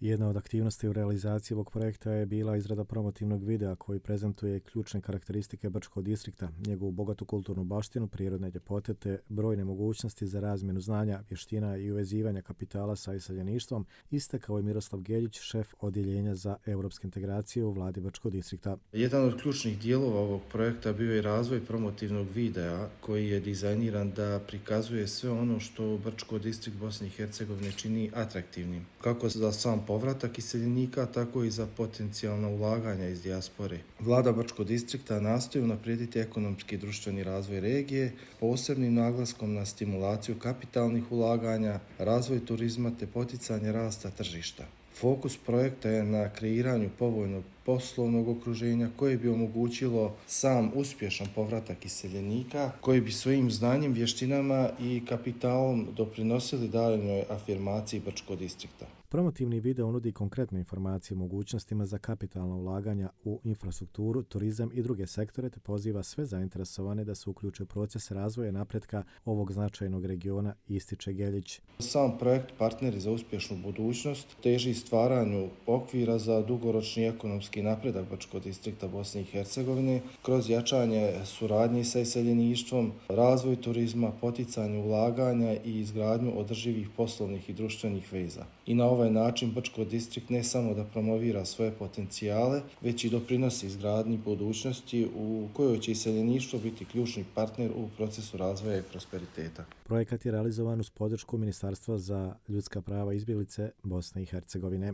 Jedna od aktivnosti u realizaciji ovog projekta je bila izrada promotivnog videa koji prezentuje ključne karakteristike Brčkog distrikta, njegovu bogatu kulturnu baštinu, prirodne ljepote te brojne mogućnosti za razmjenu znanja, vještina i uvezivanja kapitala sa iseljeništvom, istakao je Miroslav Geljić, šef odjeljenja za europske integracije u vladi Brčkog distrikta. Jedan od ključnih dijelova ovog projekta bio je razvoj promotivnog videa koji je dizajniran da prikazuje sve ono što Brčko distrikt Bosne i Hercegovine čini atraktivnim, kako za sam povratak iseljenika, tako i za potencijalna ulaganja iz dijaspore. Vlada Brčkog distrikta nastoji unaprijediti ekonomski i društveni razvoj regije, posebnim naglaskom na stimulaciju kapitalnih ulaganja, razvoj turizma te poticanje rasta tržišta. Fokus projekta je na kreiranju povoljnog poslovnog okruženja koje bi omogućilo sam uspješan povratak iseljenika, koji bi svojim znanjem, vještinama i kapitalom doprinosili daljnjoj afirmaciji Brčkog distrikta. Promotivni video nudi konkretne informacije o mogućnostima za kapitalna ulaganja u infrastrukturu, turizam i druge sektore te poziva sve zainteresovane da se uključe u proces razvoja i napretka ovog značajnog regiona, ističe Geljić. Sam projekt Partneri za uspješnu budućnost teži stvaranju okvira za dugoročni ekonomski napredak Brčkog distrikta Bosne i Hercegovine kroz jačanje suradnje sa iseljeništvom, razvoj turizma, poticanje ulaganja i izgradnju održivih poslovnih i društvenih veza. I na ovaj način Brčko distrikt ne samo da promovira svoje potencijale, već i doprinosi izgradnji budućnosti u kojoj će iseljeništvo biti ključni partner u procesu razvoja i prosperiteta. Projekat je realizovan uz podršku Ministarstva za ljudska prava i izbjeglice Bosne i Hercegovine.